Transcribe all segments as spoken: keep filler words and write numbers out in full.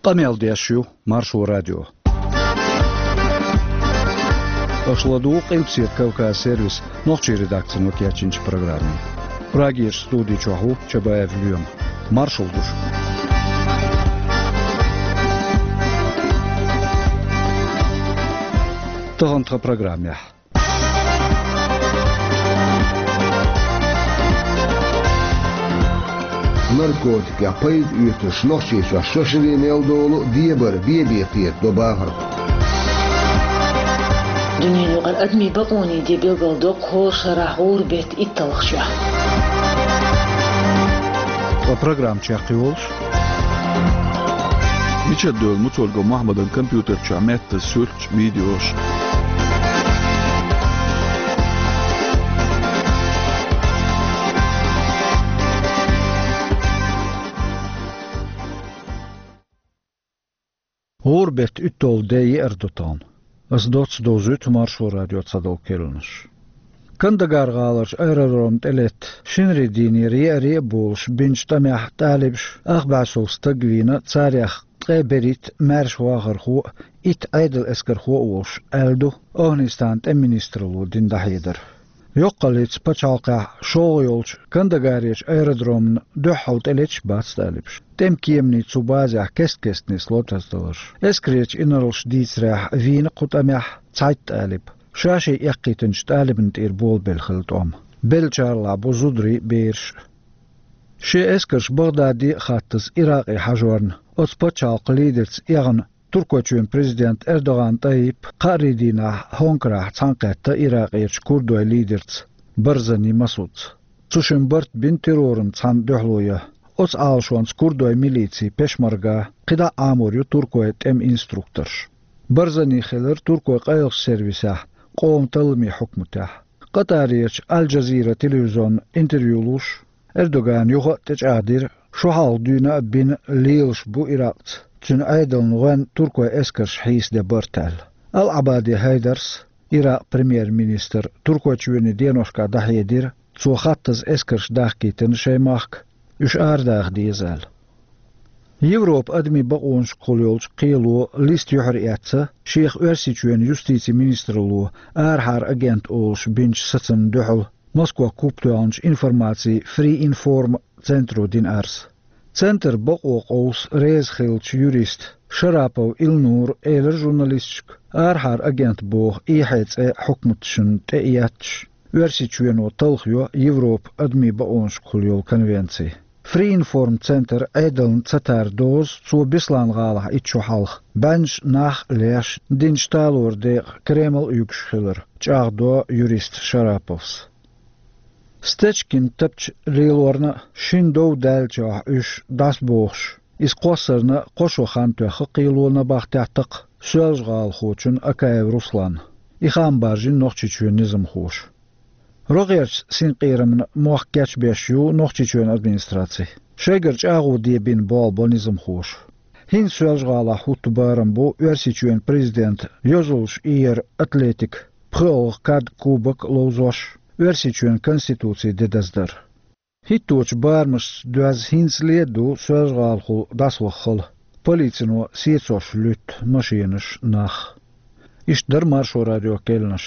Къамел деш ю Маршо радио. Аша ладугӀу Къилбаседа Кавказ сервисан нохчийн редакцино кечйинчу программе. Прагерчу студи чохь ву Чабаев Лоьма. Маршалла ду шуьга. Тахана тхан программехь. Наркотикех пайда оьцурш Нохчийчохь шо шаре мел долу дебар бен-бен кхетадо бахархой. Дуьненаюкъара адамийн бакъонийн де билгалдо кху шарахь гӀуран беттан итталгӀачохь. Ткъа программа чекхйолуш. Мичара девлла Муцольгов Мохьмадан компьютер чохь меттаза суьрташ, видеош? ГӀуран беттан уьтталгӀа де еара ду тахана. Ас доцца довзуьйту Маршо радион цхьадолу керланаш. Кандагар гӀаларчу аэродромна тӀелетта, шинарин дийнера еаре а болуш бинчу тӀамехь талибаша ах бӀе сов стаг вийна, царех ткъе берхӀитта маьрша вахархо а, итт Ӏедалан эскархо а волуш, аьлла ду ОвхӀанистанан тӀеман министралло дина дӀахьедар. Йоккхаллица пачхьалкхехь шолгӀа йолчу Кандагарерчу аэродромна дуьххьал тӀелеташ бац талибаш. ТӀеман кеманийн цу базехь кест-кеста нисло тасадаларш. Эскарерчу инарлаша дийцарехь, вийна кху тӀамехь цхьайтта талиб. Ша-шен эккхийтинчу талибана тӀера болабелла хилла тӀом. Беллачарлахь бу зударий а, бераш а. Шен эскарш Багъдаде а хаттаза Иракъе хьажорна, оцу пачхьалкхан лидерца эгӀна Туркойчоьнан президент Эрдоган ТӀайип кхаарин дийнахь Хонкарахь цхьаьнакхетта Иракъерчу курдойн лидерца Барзани Масудца. Цу шимма барт бина террорна цхьаьна дуьхьало ян. Оцу Ӏалашонца курдойн милици, пешмарга, кхидӀа а Ӏамор ю туркойн тӀеман инструкторш. Барзани хилира туркойн къайлахчу сервисехь, къоман талламийн хьукматехь. Къатарерчу Аль-Джазира телевизионна интервью луш, Эрдогана юха а тӀечӀагӀдира, шо хьалха дуьйна а бина лелаш бу Иракъца, цуьнан Ӏедална гӀоьнна туркойн эскарша хьийсаде барт аьлла. Ал-Ӏабади Хьайдарс, Иракъан премьер-министр, Туркойчоьнан деношкахь дӀахьедира, цо хаттаза эскарш дахкийтина шайн махка, уьш арадаха деза аьлла. Европан адамийн бакъонашкахула йолчу кхело листа юьхьар эцна, шех Оьрсийчоьнан юстицин министралло арахьара агент олуш бинчу сацамна дуьхьал Москвах куп тоьхначу информацин Free Inform центро дина арз. Центран бакъо къовса реза хиллачу юриста Шарапов Илнура элира журналисташка, арахьара агент боху эхье цӀе хьукматашна тӀеэцча, Оьрсийчоьно талхайо Европан адамийн бакъонашкахула йолу конвенци. Free Inform центр Ӏедална ца тара доза цо Беслан-гӀалахь итт шо хьалха, бӀеннаш нах а леш, динчу талоран декъа Кремль а юьгуш хилар, чӀагӀдо юриста Шараповс. Стечкин тапча лелорна а, шина дов даьллачохь уьш дӀасабохуш, иза кхоссарна кхо шо хан тоьхна кхело набахтехь такха Соьлжа-ГӀалахочунна Акаев Русланна. И хаам баржийна Нохчийчоьнан низамхоша. РогӀерчу синкъерамна мохк кечбеш ю Нохчийчоьнан администраци. Шайгара чӀагӀо де бина болх бо низамхоша. ХӀинца Соьлжа-ГӀалахь хӀутту барам бу Оьрсийчоьнан президентан йозаллаш иер атлетикан пхоьалгӀа кад, кубок ловзош, Оьрсийчоьнан Конституцин де даздар. ХӀитточу барамашца доьзна хӀинцале а ду Соьлжа-ГӀалахула дӀасаваха хала, полицино сецош луьтту машенаш, нах. Иштта дара Маршо радион керланаш.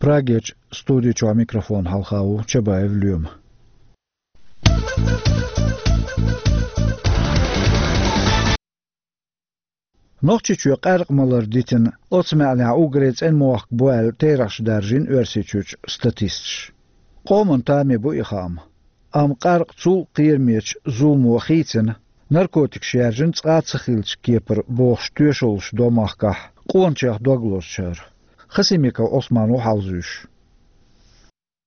Прагерчу студи чохь микрофон хьалха ву Чабаев Лоьма. Нохчийчоь къаьркъа малар дитина, оцу маьӀнехь уггаре цӀена мохк бу аьлла, терахьаш даржийна Оьрсийчуьрчу статисташа. Къоман тамехь бу и хаам. Амма къаьркъа цул кхерамечу зуламо хийцина, наркотикаш яьржина цкъа а ца хиллачу кепара бохуш тоьшаллаш до махкахь къоначех дог лозучара. Хасимиков Ӏусман ву хьалзуьйш.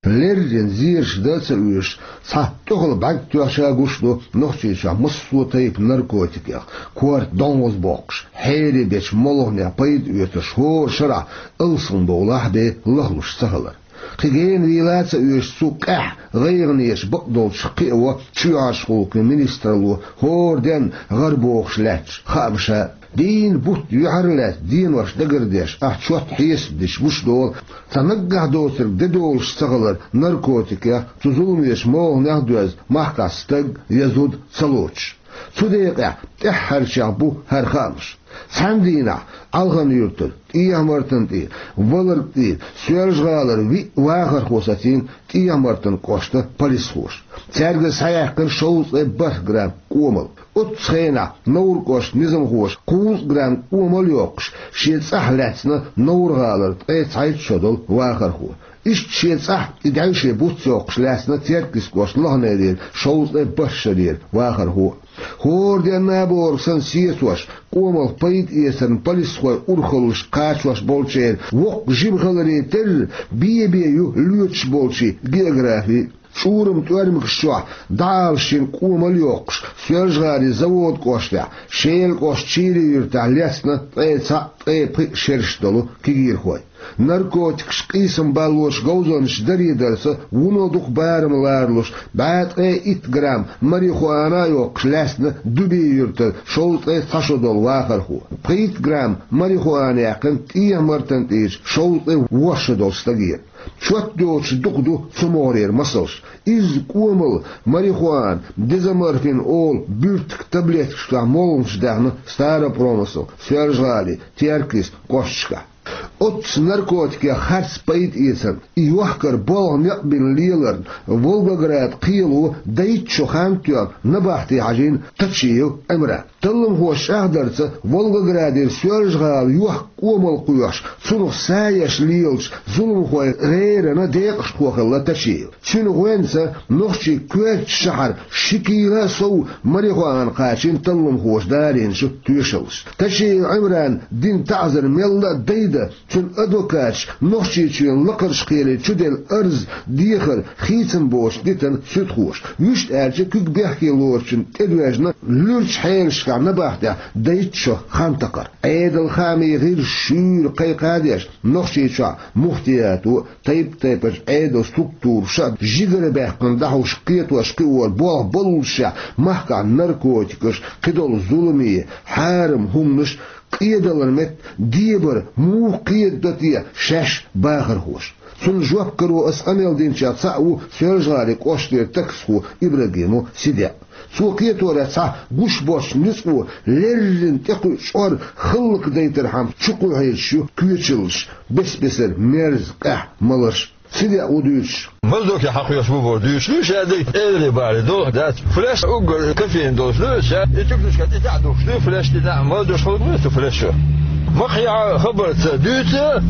Леррина зераш дан а ца оьшуш, цхьа тӀехула бӀаьрг тоьхча гуш ду Нохчийчохь массо а тайпа наркотикех, корта донхаза боккхуш, хьере бечу молханех пайда оьцурш хӀора шарахь алсам бовлахь бен лахлуш ца хилар. Кхин гена вийла а ца оьшуш, цу къаьхьа гӀайгӀанеша бакъдолчух кхиаво чоьхьарчу гӀуллакхийн министралло хӀора денна гӀарабохуш лаьтташ хаамаш а. Дийнна бутт юьхьарлаьцна денош дагардеш, ахь чот хьесап дича гуш долу, цхьа наггахь доцург де долуш ца хилар наркотикех, цу зуламечу молханех а доьзна, махкахь стаг я зуда ца лоцуш. Цу декъехь тӀаьххьарчех бу хӀара хаамаш. Цхьана дийнахь Ӏалхан-Юьртара, ТӀехьа-Мартан тӀера, Валарг тӀера, Соьлжа-ГӀалара виъ вахархо сацийна ТӀехьа-Мартан кӀошта полисхоша. Цаьрга схьаяьккхина шовзткъе бархӀ грамм кӀомал. Оццу хенахь Невран кӀоштан низамхоша кхузткъа грамм кӀомал а йоккхуш, шен цӀахь лаьцна Невран-ГӀалара ткъе цхьайтта шо долу вахархо. Иштта шен цӀахь и даьвше буц йоккхуш лаьцна Теркйист кӀоштан Лохнерера шовзткъе бархӀ шарера вахархо а. ХӀора денна а бохург санна сецош, кӀомалх пайда эцарна полисхой урхаллаш кхачош болчеран воккха жима хиларе терра, бен-бен ю лоьцуш болчийн географи. Чурам тӀоьрмигаш чохь дӀаала шина кӀомал а йоккхуш, Соьлжа-ГӀалин Заводан кӀоштехь, Шелан кӀоштан Чийрин-Юьртахь лаьцна ткъе цхьаъ, ткъе пхиъ шераш долу кегийрхой. Наркотикаш, къийсам баллош говзанчаш даре дарца вуно дукха барам ларалуш, бӀе ткъе итт грамм марихуана а йоккхуш лаьцна Дубин-Юьртара шовзткъе цхьа шо долу вахархо. Пхийтта грамм марихуана яьккхина ТӀехьа-Мартан тӀера шовзткъе ворхӀ шо долу стагера. Чот доцуш дукха ду цу могӀарера масалш. Изза кӀомал, марихуана, дезоморфин олу буьртиг таблеткаш чохь молханаш даьхна Старопромысл, Соьлжа-ГӀалин, Теркйист кӀошташкахь. Оццу наркотикех харц пайда эцарна, и йохкар болх некъ бина леларна, Волгоград кхело дайтта шо хан тоьхна набахте хьажийна Тачиев Ӏимран. Талламхоша чӀагӀдарца, Волгоградера Соьлжа-ГӀала йохка кӀомал кхоьхьуш, цунах са еш лелачу зуламхойн гӀерана декъашхо хилла Тачиев. Цуьнан гӀоьнца нохчийн коьртачу шахьара ши кила а сов марихуана кхачийна талламхоша дарийначу тоьшаллаша. Тачиев Ӏимрана дина таӀзар мелла а дайда, цуьнан адвокаташа Нохчийчоьнан лакхарчу кхеле чуделла арз, дехар хийцам боцуш дитина суьдхоша. Вуьшта аьлча, куьг бехке лоручунна тӀедоьжна луьрачу хьелашкахь набахтехь дайтта шо хан такхар. Ӏедалан хаамийн гӀирсаша шуьйра кхайкха а деш, Нохчийчохь муфтиято а, тайп-тайпанчу Ӏедалан структураша а жигара баьккхина дӀахьуш кхетош кхиор болх боллушехь, махкахь наркотикаш, кхидолу зуламе, хьарам хӀуманаш, къедалан метта дебар муха кхедадо те шаьш бахархоша? Цунна жоп каро аса къамел динчех цхьаъ ву Соьлжа-ГӀалин кӀоштара таксхо Ибрагимов Сидеъ. Цо кхеторехь цхьа гуш боцчу ницкъо леррина тӀекхуьучу чкъор хӀаллакдайтархьама чукхоьхьуьйтуш ю коьчаллаш, бес-бесара мерза, къаьхьа маларш. Сидеъа ву дуьйцуш. Маза ду кхин хьан кхоьруш бу боху дуьйцуш ду, ша дерг эври бара ду, дац. Флеш уггар кофеин долуш ду, ша и тюкнашка тӀе тӀаьхьа духкуш ду, флеш тӀе дӀа, маза деш хӀаллак ду аса флеш шу. Ма кхин хьан хабарца дуьйцу,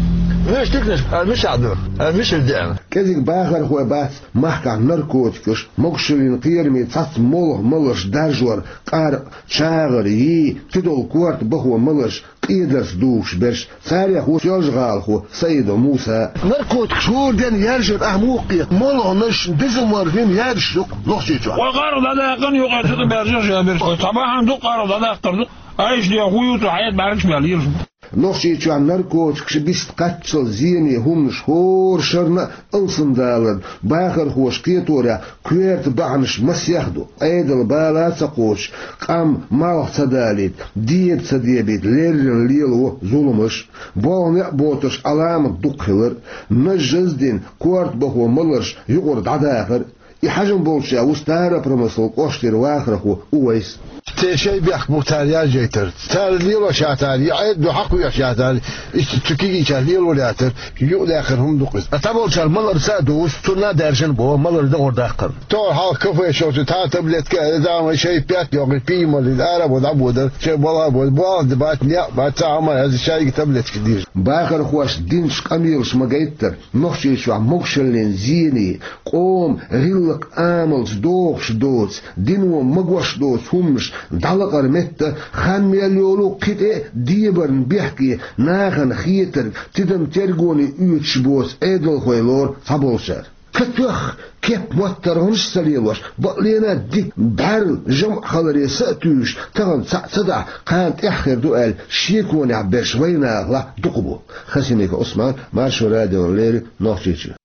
веш тюкнаш, а мичахь ду, а мичара деана. КӀезиг бахархой бац махкахь наркотикаш, могушаллин кхераме цхьацца молха маларш даржор, къаркъа, чагӀар, йий, кхидолу корта бахо маларш, къедарца дугӀуш берш, царех ву соьлжагӀалахо Саидов Муса. Наркотикаш хӀора денна яьржар ахь муха кхета? Молханаш, дезоморфин яьржаш ю-кх Нохчийчохь. Вай къаркъа дӀадаккхана юкъа цу тӀе баьржаш а берш. Вай цхьа бахьана ду къаркъа дӀадаккхар ду. Айса ден хӀун ю цу хьайда бӀаьргаш мел йилаш. Нохчийчохь наркотикаш, бист кхаччалц зене хӀуманаш хӀора шарна а алсамдаларна бахархоша кхеторехь коьрта бахьанаш масех ду. Ӏедалан бала а ца кхочуш, къам малх ца далийта, деба ца дебийта леррина лелаво зуламаш, болх некъ боцурш Ӏаламат дукха хилар, нажжаз а дина, корта бахо маларш юкъара дӀадахар. И хьежам болчарех ву Старопромыслан кӀоштара вахархо Увайс. Те шайн бехк бу цара яьржайтар. Цара лелош яцара, и Ӏедало хьакхоьхьуш яцара, иштта цу кегийчара лелор яцара, юкъадаьккхина хӀума ду-кх иза. Ткъа цхьаболчара маларца а дуьйцу, цунна а даьржина боху, малар догӀур даккхарна. Тохара хьалха кафе шовчу тхан таблетка а, дама шайн пет йоккхуш, пиймаллин ара бо дӀабодар, шайн бала а бо, болх а бац, некъ а бац, цхьа а хӀума а яц, шайга таблеткаш дийр. Бахархоша динчу къамелаша ма-гайттара, Нохчийчохь могушаллин зене, къоман гӀиллакх-амалца догӀуш доцу, дино магош доцу хӀуманаш дӀалакъара метта, хан мел йолу кхин тӀе а дебарна бехке, нахана хетарг, тидам-тергоне оьцуш боцу Ӏедалхой лору цхьаболчара. Ка тоьхна, кеп-моттаргӀанаш а ца лелош, бакъ лена а дика, бӀаьрла, жамӀ хиларе са а туьйсуш, тахана цхьаъ ца дахь, кхана тӀаьхьа хир ду аьлла, шеконехь берш вайнахалахь дукха бу. Хасимиков Ӏусман, Маршо радиона леррина, Нохчийчуьра.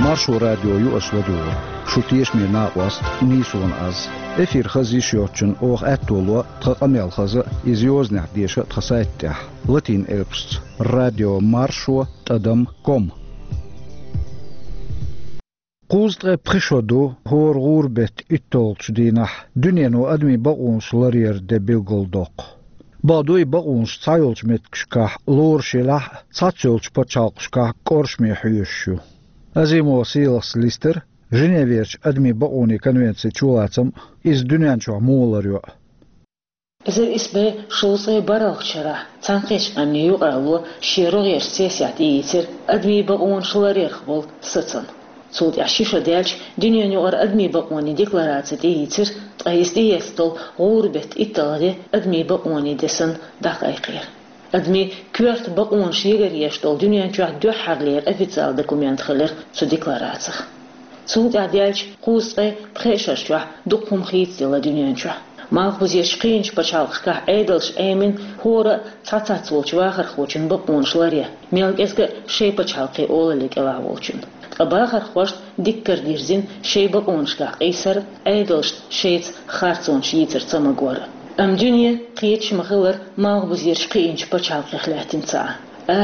Маршо радио ю аса ладугӀург. Шун тешаме накъост нийсонан аз. Эфир хаза йиш йоцчунна оха аьтто ло тхан къамел хаза а, иза йозанехь деша а тхан сайта тӀехь, латин элпашца: радио маршо тӀадам ком. Кхузткъе пхи шо ду хӀора гӀуран беттан итталгӀачу дийнахь дуьнено адамийн бакъонаш ларъяран де билгалдоккху. Бакъду, и бакъонаш цхьайолчу меттигашкахь лоруш елахь а, цхьаццайолчу пачхьалкхашкахь кӀоршаме хьоьшуш ю. Азимова Сийлахьас листира Женеверчу адамийн бакъонийн конвенцин чулацам а, иза дуьнен чохь муха ларйо а. Эзар исс бӀе шовзткъе бархӀалгӀачу шарахь Цхьаьнакхеттачу Къаьмнийн Юкъаралло шен рогӀерчу сессехь тӀеийцира адамийн бакъонаш ларъярх болу сацам. Цул тӀаьхьа ши шо даьлча, дуьненан юкъара адамийн бакъонийн деклараци тӀеийцира, ткъа иза тӀеэцна долу гӀуран беттан итталгӀа де адамийн бакъонийн де санна дӀакхайкхийра. Адамийн коьрта бакъонаш егар еш долу дуьнен чохь дуьххьарлера официалан документ хилира цу декларацих. Цул тӀаьхьа даьлча кхузткъе пхи шарчохь дукха хӀума хийцаделла дуьнен чохь. Малхбузерчу кхиъначу пачхьалкхашкахь Ӏедалша Ӏемина хӀора а цхьа цхьацца волчу вахархочун бакъонаш ларъян, мел кӀезга а шайн пачхьалкхийн олалле кӀелахь волчун. Ткъа бахархошна дикка карадирзина шайн бакъонашкахь къийсар а, Ӏедалшна шайца харцонаш йийцар ца магор а. Амма дуьне кхеташ ма-хиллара малхбузерчу кхиъначу пачхьалкхех лаьттина ца Ӏа.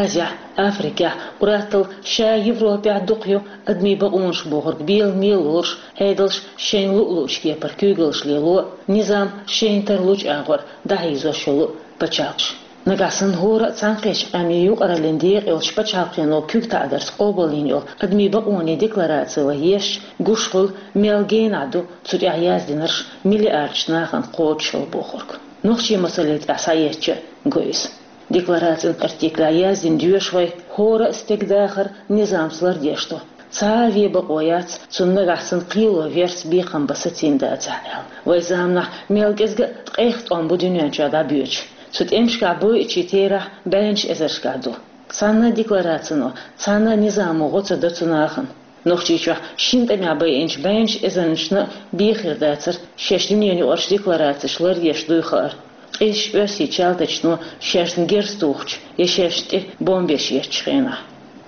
Азехь, Африкехь, къураттал ша Европехь дукха ю адамийн бакъонаш бохург беламе лоруш, Ӏедалш шайна луъу-луъучу кепара куьйгаллаш лело а, низам шайна тарлучу агӀор дӀахьийзош йолу а пачхьалкхаш. Нагахь санна хӀора а Цхьаьнакхеттачу Къаьмнийн Юкъараллин декъа йолчу пачхьалкхено куьг таӀадарца къобалйина йолу адамийн бакъонийн деклараци вай ешча, гуш хуьлу, мел генахь ду цу тӀехь яздинарш миллиардаш нахана кхочушалла бохург. Нохчийн масале тӀехь схьаэцча а го иза. Декларацин артиклехь яздина доьшу вай, хӀора а стеган дахар низамца лардеш ду. Цхьа а вен бакъо яц, цунна нагахь санна кхело верца бекхам бан сацийна дацахь аьлла. Вайн заманахь мел кӀезга а ткъех тӀом бу дуьнен чохь дӀабоьдуш. Цу тӀемашкахь бойучийн терахь бӀеннаш эзаршкахь ду. Цхьана а декларацино, цхьана а низамо гӀо ца до цу нахана. Нохчийчохь шина тӀамехь байинчу бӀеннаш эзарнашна а бен хир дацара шаьш дуьненан юкъарчу декларацеш ларъеш дуй хаар, къизачу оьрсийн чалтачано шаьшна герз тухучу я шаьшна тӀе бомбеш еттачу хенахь.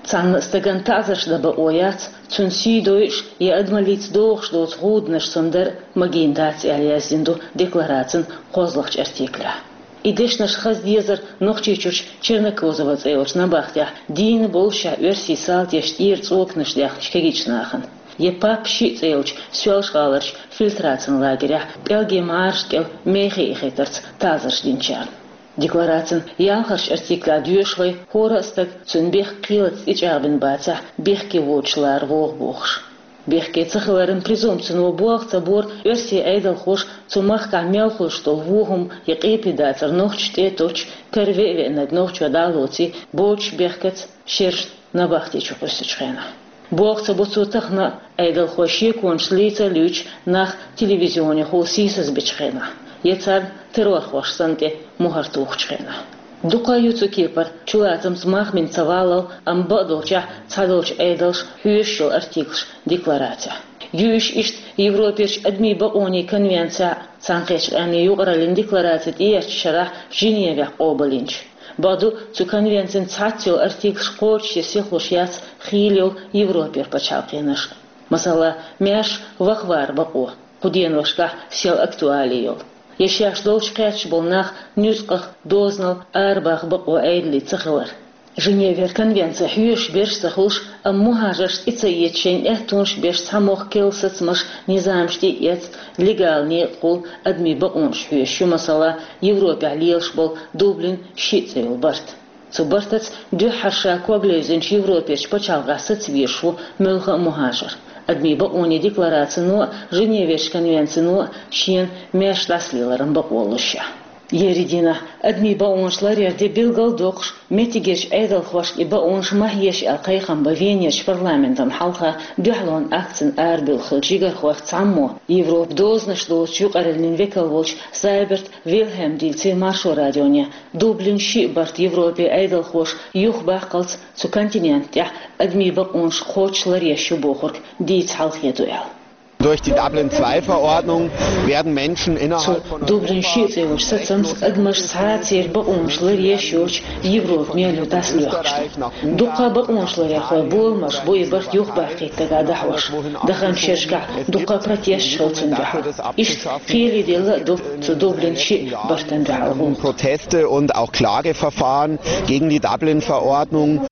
Цхьана а стагана таӀзарш дан бакъо яц, цунна сий дойуш я адамаллица догӀуш доцу гӀуданаш санна дар а магийна дац аьлла яздина ду декларацин кхозлагӀчу артиклехь. И дешнаш хаза дезара Нохчийчуьрчу Чернокозово цӀе йолчу набахтехь дийна болушехь оьрсийн салташа тӀера цӀоканаш даьхначу кегийчу нахана. Я Папа шиъ цӀе йолчу Соьлжа-ГӀаларчу фильтрацин лагерехь пӀелгийн мӀараш кӀел мехе ихийтарца таӀзарш динчарна. Декларацин ялхарчу артиклехь доьшу вай, хӀора а стаг цуьнан бехк кхелаца тӀечӀагӀбина бацахь, бехке воцуш лара вогӀу бохуш. Бехке ца хиларан презумпцино болх ца бора оьрсийн Ӏедалхоша цу махкахь мел хуьлуш долу вон хӀума я къепе дацар нохчашна тӀе а тоттуш, кара веа-веанарг нохчо дӀа а лоций, боцуш бехкаца шерашна набахти чу кхуьссучу хенахь. Болх ца бо цо тахана а, Ӏедалхой шеконаш лийца а луьйчу нах телевизионехула сийсаз бичу хенахь, я царна террорхош санна тӀе мухӀар тухучу хенахь. Дукха ю цу кепара чулацамца мах бина ца валлал, амма бакъдолчехь цхьадолчу Ӏедалша хьоьшуш йолу артиклаш декларацехь. Ю уьш иштта Европерчу адамийн бакъонийн конвенцехь а, Цхьаьнакхеттачу Къаьмнийн Юкъараллин деклараци тӀеэцначу шарахь Женевехь къобалйинчу. Бакъду, цу конвенцин цхьацца йолу артиклаш кхочушъян сихлуш яц хийла йолу Европера пачхьалкхенаш. Масала, маьрша вахаваран бакъо, кху деношкахь сел актуали йолу. Я шаьш долчу кхаьчча болу нах нуьцкъах, дозанал арабаха бакъо Ӏедале ца хилар. Женевера конвенци хьоьшуш берш а ца хуьлуш, амма мухӀажаршна тӀе ца эца шайна аьттонаш а беш цхьа мохк керла сацамаш, низамаш тӀе а эцна, легала некъахула адамийн бакъонаш хьоьшуш ю, масала, Европехь лелаш болу Дублин шиъ цӀе йолу барт. Цу бартаца дуьххьара ша ког левзинчу Европерчу пачхьалкхехь саца везаш ву муьлхха а мухӀажар. Адамийн бакъонийн декларацино а, Женеверчу конвенцино а шена маьрша дӀасалеларан бакъо лушехь. Ерриг дийнахь адамийн бакъонаш ларъяран де билгал а доккхуш, меттигерчу Ӏедалхошка и бакъонаш ма хьеша аьлла кхайкхам бан Венерчу парламентана хьалха дуьхьалонан акцина арабевлла хиллачу жигархойх цхьаммо, Европан дозанаш доцучу юкъараллин векал волчу Зайберт Вильхельма дийцира Маршо радионе, Дублин шиъ барт Европин Ӏедалхоша юхабаккхалц цу континента тӀехь адамийн бакъонаш кхочуш ларъеш ю бохург дийца хьалхе ду аьлла. Durch die Dublin-zwei-Verordnung werden Menschen Цу innerhalb von Дублин шиъ цӀе йолчу сацамца адамаш цхьа а церан бакъонаш ларъеш йоцуш Европа мел ю дӀасалоьхкуш ду. Дуккха бакъонаш ларъярхой боламаш бу и барт юхабаккхийта дагахь дӀахьош. Даханчу шерашкахь дуккха протесташ хилла цунна дуьхьал. Иштта кхеле делла а ду цу Дублин шиъ бартана дуьхьал гӀуллакх. Proteste und auch Klageverfahren gegen die Dublin-Verordnung.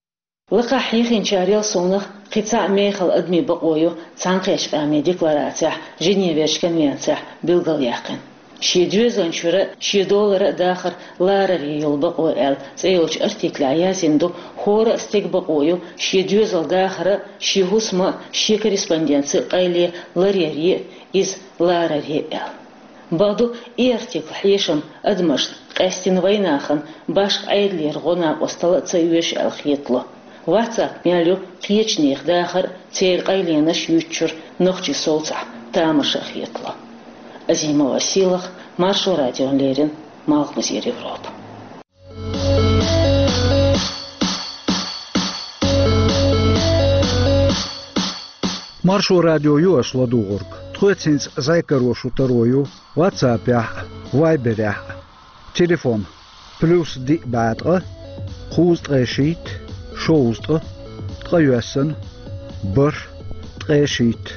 Лакхахь хьехийнчарел совнах Кхин цхьа мехала адамийн бакъо ю Цхьаьнакхеттачу Къаьмнийн декларацехь, Женеверчу конвенцехь билгалъяьккхина. Шен доьзална чуьра шен долара а, дахар ларар а йолу бакъо аьлла цӀе йолчу артиклехь яздина ду, хӀора а стеган бакъо ю шен доьзал дахар а, шен хӀусам а, шен корреспонденци а къайле ларъяр а, иза ларар а аьлла. Бакъду, и артикл хьешам адамашна, къаьсттина вайнахана, башха Ӏедалера гӀо-накъосталла а ца оьшу аьлла хетало. WhatsApp мел ю кхечу нехан дахар а, церан къайленаш а юьйцучуьра нохчийн совцахь тамаша а хетало. Азимова Сийлаха, Маршо радиона леррина, Малхбузера Европа. Маршо радио ю аша ладугӀург. Тхоьца хӀинца зӀе каро шу таро ю WhatsApp-ехь а, Viber-ехь а. Телефон: плюс диъ бӀе ткъа, кхузткъе шийтта, шовзткъа, ткъайоьсна, бархӀ, ткъе шийтта.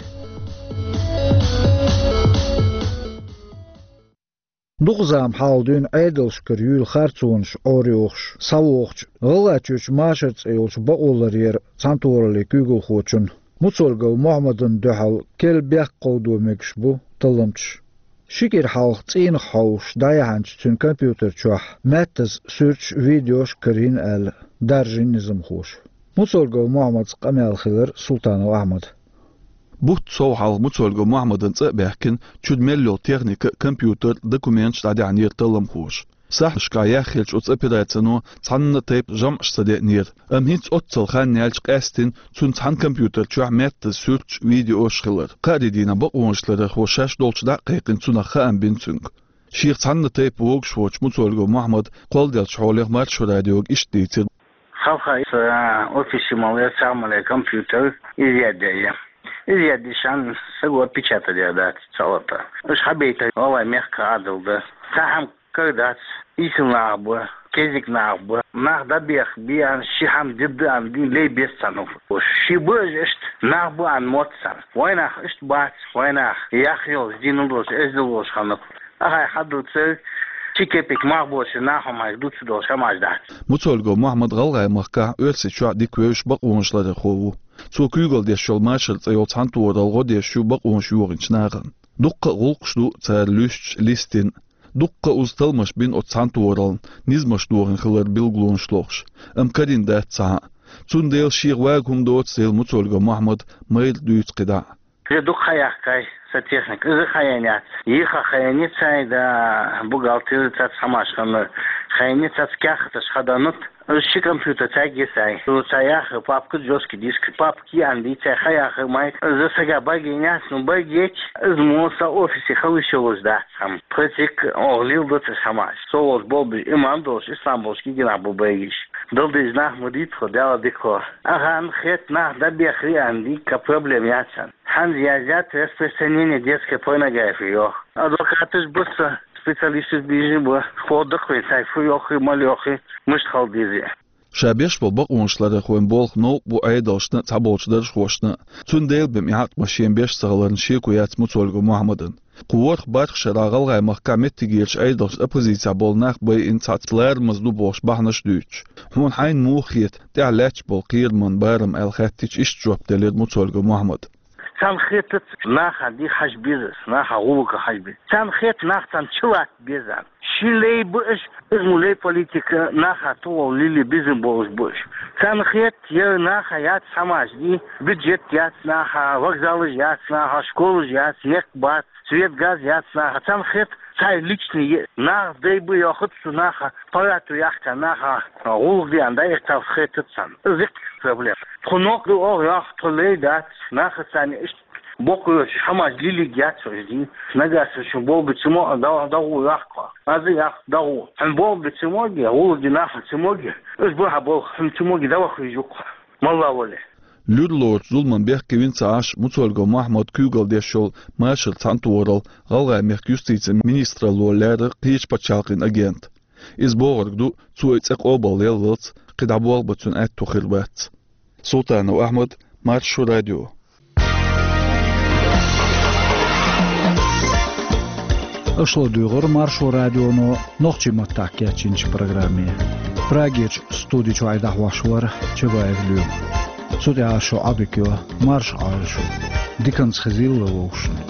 Дукха зама хьалха дуьйна Ӏедалшкара юьйла харцонаш Ӏорайохуш схьавогӀучу ГӀалгӀайчуьрчу Машар цӀе йолчу бакъо ларъяран цхьаьнатохараллин куьйгалхочунна Муцольгов Мохьмадан дуьхьал керла бехк кховдо мегаш бу талламчаш. Ши кӀира хьалха цӀийнах хьовсуш дӀаяьхьначу цуьнан компьютер чохь маьттаза суьрташ а, видеош а карийна аьлла, даржийна низамхоша. Муцольгов Мохьмадца къамел хилира Султанов Ахьмада. Бутт сов хьалха Муцольгов Мохьмадан цӀа а баьхкина, чуьра мел йолу техника, компьютер, документаш дӀадаьхьнера талламхоша. Сахьташкахь яьхначу оцу операцино цхьанна а тайпа жамӀаш ца деънера, амма хӀинца оццул хан яьлча къаьсттина цуьнан цхьана компьютер чохь маьттаза суьрташ а, видеош а хилира. Кхаарин дийнахь бакъонашларъярхоша шаьш долчу дӀа а кхайкхина, цунах хаам бина цуьнга. Шех цхьанна а тайпа вогуш воцчу Муцольгов Мохьмада кхолладеллачу хьолехь Маршо радиога иштта дийцира. Хьалха иза, а, офисе ма лаьцна, ма лаьцна компьютер, изъять яьй. Изъять яьй, сан саго отпечатать ян дац цхьа а. Уьш хьабайта гӀалгӀайн мехкан Ӏадал ду. Цхьа хӀума кара дац, ийсала нах бу, кезиг нах бу, нах дӀабеха бен, ши хӀума дитта дан, лей беза царна. Ши бу уьш иштта, нах бу аьлла мотт царна. Вайнах иштта бац, вайнах яха йолуш, дийна долуш, эздел долуш ханна. Ахьа хьадуьйцу, ши кепек мах боцуш нах хӀуманаш дуьйцуш долуш хӀуманаш дац. Муцольгов Мохьмад ГӀалгӀайн махкахь, Оьрсийчохь дика вевзаш бакъонашларъярхо ву. Цо куьйгалла деш йолу Машар цӀе йолу цхьаьнатохаралла гӀо деш ю бакъонаш йохийначу нахана. Дуккха а гӀуллакхаш ду цара луьстуш, листина. Дуккха а уза талламаш бина оцу цхьаьнатохараллина, низамаш дохийна хиларан билгалонаш лохуш. Амма карийна дац цхьа а. Цундела шех вага хӀума доцу, элира Муцольгов Мохьмада, майра дуьйцу кхидӀа а. Иза дукха хьаяьккхай сан техника. Иза хьаян яц. Йиха хьаян яц, цхьа а да бухгалтер, цхьацца хӀуманаш хьаян яц, цхьацца кехаташ хьадан яц. Иза ши компьютер цхьаьнгге сай. Иза цхьа яха папка, жёсткий диск, папка аьлла дийцай, хьаяха майра. Иза сага бага ян яц, ну, бага яц, иза мо сан офисе хила йиш йолуш дац хӀума. Тхоьца йикка оха леладо цхьа хӀуманаш. Со волчу болх беш, имам долуш, ислам болуш кегий нах бу бага йиш. Дала деза нах ма дийца тхо, Дала дика хьо. Ахьа хетта нах дӀабехарий аьлла дийцча, проблема яц сан. ХӀинца яздеш распространение детской порнографии йоху. Адвокаташ бу сан, специалисташ бийжина бу, хӀоттадо вайн цхьа фу йоху, мала йоху, муьлш хила деза. Ша беш болу бакъонашларъярхойн болх новкъа бу Ӏедалшна а, цхьаболчу даржхошна а. Цундела бен и хьакъ бан шен беш ца хиларна шеко яц Муцольгов Мохьмадан. Кху ворхӀ-бархӀ шарахь ГӀалгӀайн махкахь меттигерчу Ӏедалшна, оппозицехь болу нах байина цхьацца ларамаза ду бохуш бахьанаш а дуьйцуш. Хьуна хьайна муха хета тӀехь лаьтташ болу кхераман барам аьлла хаьттича, иштта жоп делира Муцольгов Мохьмада. Царна хетац, наха дика хьажа беза, наха гӀуллакх хьажа беза. Царна хета, нах царна чулатта беза. Ши лей бу уьш, иза мо лей политика, наха тӀехула лили безам болуш бу уьш. Царна хета, я наха яц хӀуманаш дий, бюджет яц наха, вокзалаш яц наха, школаш яц, некъ бац, свет, газ яц наха. Царна хета, цхьа личный е-, нах дай бу йохуц цу наха, парату яхка наха, гӀуллакх диан дай, царна хетац царна. Иза иккха проблема. Тхо нохк ду оха йоху, тхо лей дац, наха царна иштта боккъалла йоцуш хӀуманаш лилиг яц уьш дий. Нагахь санна шун болх бу ца мо, дагӀу, дагӀу йохку. Аза яхку дагӀу. Хьуна болх бу ца моге, гӀуллакх ди нахана ца моге, уьш бу хьан болх, хьуна ца моге, дӀаваха веза юккъе. Малла вале. Луьра лоручу зуламан бехке вина ца Ӏаш, Муцольгов Мохьмад куьйгалла деш йолу Машар цхьаьнатохаралла ГӀалгӀайн мехкан юстицин министралло лаьрра кхечу пачхьалкхийн агент. Иза бохург ду, цо и цӀе къобалъеллалц кхидӀа болх бан цуьнан аьтто хир бац. Султанов Ахьмад, Маршо радио. Аша ладуьйгӀира Маршо радионо нохчийн маттахь кечйинчу программе. Прагерчу студи чуьра дӀахьош вара Чабаев Лоьма. Цу тӀехьа шу Ӏадика йо, марша Ӏойла шу. Диканца хезийла вовшашна.